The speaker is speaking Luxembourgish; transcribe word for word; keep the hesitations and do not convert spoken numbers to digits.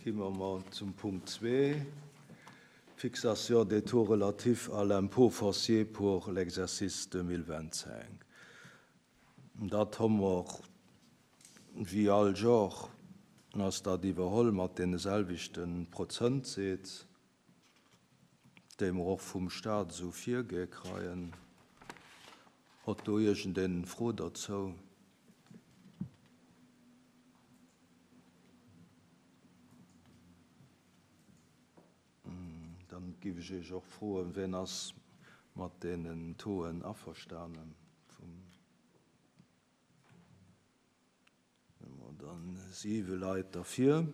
Komme mer zum Punkt zwee, Fixation des taux relatifs à l'impôt foncier pour l'exercice deux mille vingt-cinq. Dat hu mer wéi all Joer, ass dat iwwerholl mat deene selwechte Prozentsätz, déi mer och vum Staat esou virgi kréien. Huet do iergendeen Fro dozou? Dann géif ech iech och froen, wien ass mat deenen Tauxen averstanen? Vum dann siwe Leit derfir.